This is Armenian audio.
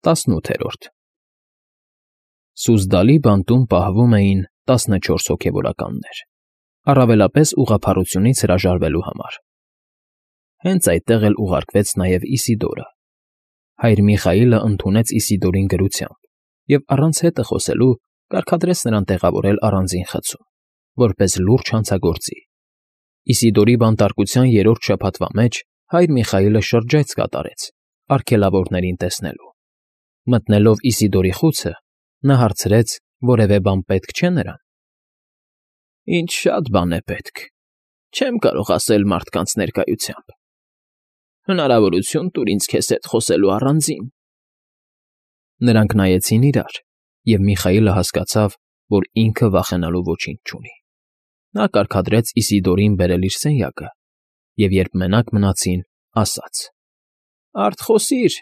ՏԱՍՆՈՒԹԵՐՈՐԴ Սուզդալի բանտում պահվում էին 14 հոգևորականներ, առավելապես ուղղափառությունից հրաժարվելու համար. հենց այդտեղ էլ ուղարկվեց նաև Իսիդորը. հայր Միխայիլը ընդունեց Իսիդորին դրությամբ և առանց հետը խոսելու կարգադրեց նրան տեղավորել առանձին խցում, որպես լուրջ հանցագործի. Իսիդորի բանտարկության երրորդ շաբաթվա մեջ հայր Միխայիլը շրջայց կատարեց, արգելավորներին տեսնելու. մտնելով Իսիդորի խուցը, նա հարցրեց. որևէ բան պետք չէ նրան։ Ինչ շատ բան է պետք, չեմ կարող ասել մարդկանց ներկայությամբ։ Հնարավորություն տուր ինձ քեզ հետ խոսելու առանձին։ Նրանք նայեցին իրար, և Միխայիլը հասկացավ, որ ինքը վախենալու ոչինչ չունի։ Նա կարգադրեց Իսիդորին բերել իր սենյակը և, երբ մենակ մնացին, ասաց. Արդ խոսիր,